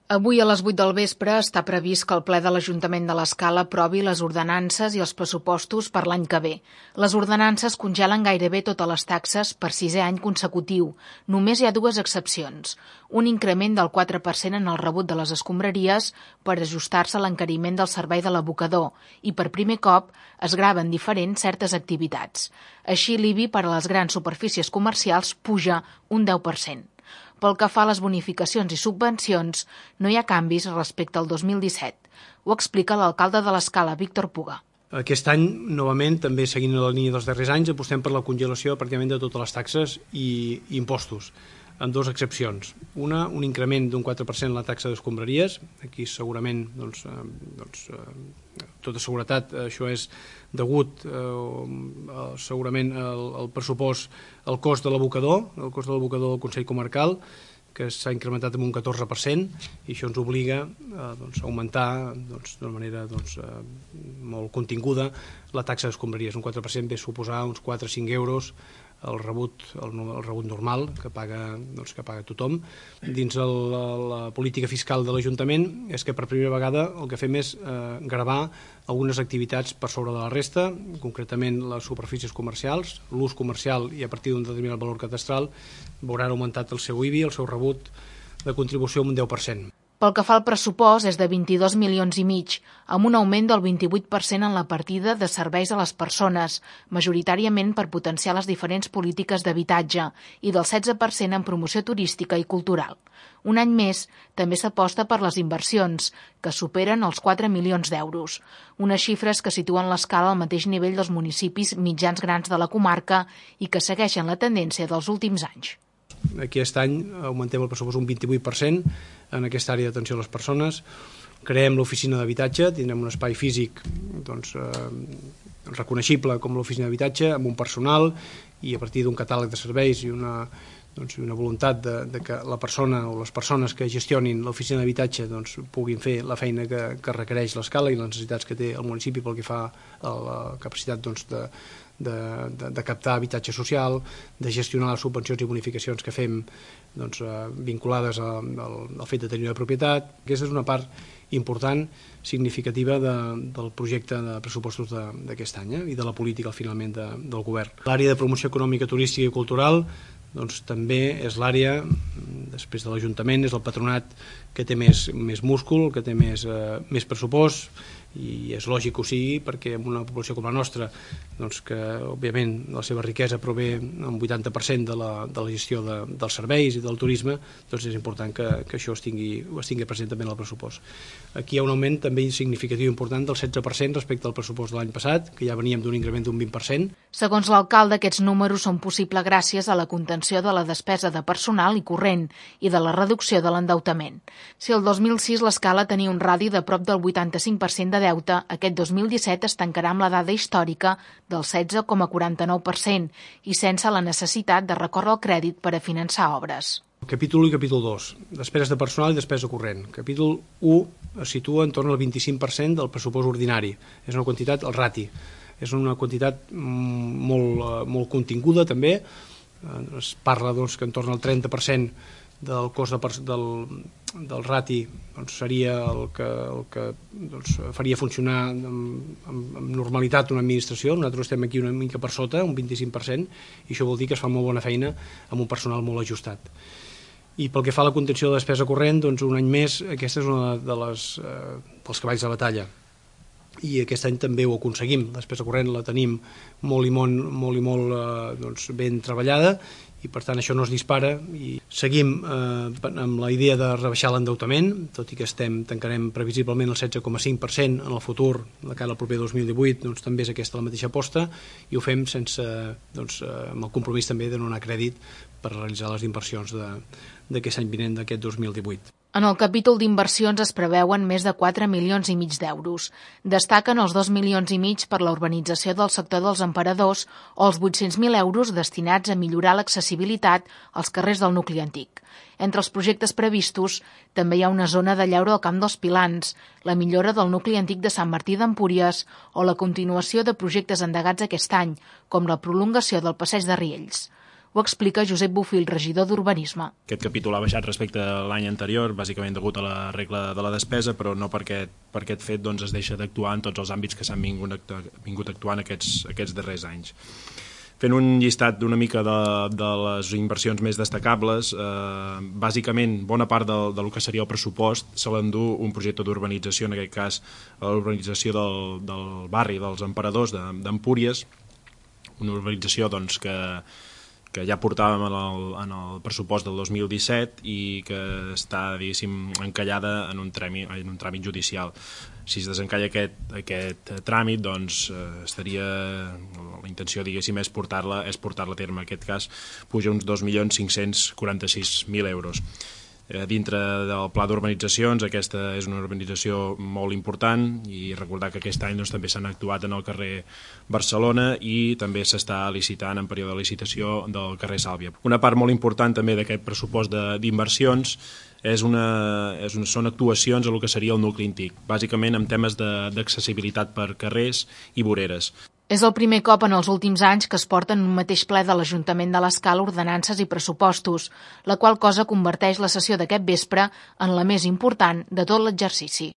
Avui a les 8 del vespre està previst que el ple de l'Ajuntament de l'Escala aprovi les ordenances i els pressupostos per l'any que ve. Les ordenances congelen gairebé totes les taxes per 6è any consecutiu. Només hi ha 2 excepcions. Un increment del 4% en el rebut de les escombraries per ajustar-se a l'encariment del servei de l'abocador i per primer cop es graven diferents certes activitats. Així l'IBI per a les grans superfícies comercials puja un 10%. Pel que fa a les bonificacions i subvencions, no hi ha canvis respecte al 2017. Ho explica l'alcalde de l'Escala, Víctor Puga. Aquest any, novament, també seguint la línia dels darrers anys, apostem per la congelació pràcticament de totes les taxes i impostos, amb 2 excepcions. Una, un increment d'un 4% en la taxa d'escombraries. Aquí segurament, tota seguretat, això és degut segurament al pressupost, al cost de l'abocador, del Consell Comarcal, que s'ha incrementat en un 14%, i això ens obliga a augmentar d'una manera molt continguda la taxa d'escombraries. Un 4% ve a suposar uns 4-5 euros el rebut normal que paga tothom. Dins la política fiscal de l'Ajuntament és que per primera vegada el que fem és gravar algunes activitats per sobre de la resta, concretament les superfícies comercials, l'ús comercial, i a partir d'un determinat valor catastral veuran augmentat el seu IBI, el seu rebut de contribució, un 10%. Pel que fa al pressupost és de 22,5 milions, amb un augment del 28% en la partida de serveis a les persones, majoritàriament per potenciar les diferents polítiques d'habitatge, i del 16% en promoció turística i cultural. Un any més, també s'aposta per les inversions, que superen els 4 milions d'euros, unes xifres que situen l'Escala al mateix nivell dels municipis mitjans grans de la comarca i que segueixen la tendència dels últims anys. Aquest any augmentem el pressupost un 28% en aquesta àrea d'atenció a les persones. Creem l'oficina d'habitatge, tindrem un espai físic reconeixible com l'oficina d'habitatge, amb un personal i a partir d'un catàleg de serveis i una voluntat de que la persona o les persones que gestionin l'oficina d'habitatge puguin fer la feina que requereix l'Escala i les necessitats que té el municipi pel que fa a la capacitat de captar habitatge social, de gestionar les subvencions i bonificacions que fem vinculades al fet de tenir una propietat. Aquesta és una part important, significativa del projecte de pressupostos d'aquest any i de la política finalment del govern. L'àrea de promoció econòmica, turística i cultural també és l'àrea, després de l'Ajuntament, és el patronat que té més múscul, que té més pressupost, i és lògic que ho sigui perquè en una població com la nostra, que òbviament la seva riquesa prové un 80% de la gestió dels serveis i del turisme, és important que això es tingui present també en el pressupost. Aquí hi ha un augment també significatiu important del 16% respecte al pressupost de l'any passat, que ja veníem d'un increment d'un 20%. Segons l'alcalde, aquests números són possibles gràcies a la contenció de la despesa de personal i corrent i de la reducció de l'endeutament. Si el 2006 l'Escala tenia un radi de prop del 85% de deute, aquest 2017 es tancarà amb la dada històrica del 16,49% i sense la necessitat de recórrer al crèdit per a finançar obres. Capítol 1 i capítol 2, despeses de personal i despesa corrent. Capítol 1 es situa en torn al 25% del pressupost ordinari. És una quantitat, el rati, és una quantitat molt continguda també. Es parla que en torn al 30% del cost del rati seria el que faria funcionar amb normalitat una administració. Nosaltres estem aquí una mica per sota, un 25%, i això vol dir que es fa molt bona feina amb un personal molt ajustat. I pel que fa a la contenció de despesa corrent, un any més, aquesta és una dels cavalls de batalla. I aquest any també ho aconseguim. La despesa corrent la tenim molt i molt ben treballada, i per tant això no es dispara, i seguim amb la idea de rebaixar l'endeutament, tot i que tancarem previsiblement el 16,5% en el futur, de cara al proper 2018, també és aquesta la mateixa aposta, i ho fem amb el compromís també de no donar crèdit per realitzar les inversions d'aquest any vinent, d'aquest 2018. En el capítol d'inversions es preveuen més de 4,5 milions d'euros. Destaquen els 2,5 milions per la urbanització del sector dels Emperadors o els 800.000 euros destinats a millorar l'accessibilitat als carrers del nucli antic. Entre els projectes previstos també hi ha una zona de lleure al Camp dels Pilans, la millora del nucli antic de Sant Martí d'Empúries o la continuació de projectes endegats aquest any, com la prolongació del passeig de Riells. Ho explica Josep Bofill, regidor d'Urbanisme. Aquest capítol ha baixat respecte a l'any anterior, bàsicament degut a la regla de la despesa, però no per aquest fet es deixa d'actuar en tots els àmbits que s'han vingut actuant aquests darrers anys. Fent un llistat una mica de les inversions més destacables, bàsicament bona part del que seria el pressupost se l'endú un projecte d'urbanització, en aquest cas l'urbanització del barri dels Emperadors d'Empúries, una urbanització que ja portàvem en el pressupost del 2017 i que està, diguéssim, encallada en un tràmit judicial. Si es desencalla aquest tràmit, doncs la intenció, diguéssim, és portar-la a terme. En aquest cas puja uns 2.546.000 euros. Dintre del pla d'urbanitzacions, aquesta és una urbanització molt important i recordar que aquest any també s'han actuat en el carrer Barcelona i també s'està licitant en període de licitació del carrer Sàlvia. Una part molt important també d'aquest pressupost d'inversions són actuacions a el que seria el nucli antic, bàsicament en temes d'accessibilitat per carrers i voreres. És el primer cop en els últims anys que es porten en un mateix ple de l'Ajuntament de l'Escala ordenances i pressupostos, la qual cosa converteix la sessió d'aquest vespre en la més important de tot l'exercici.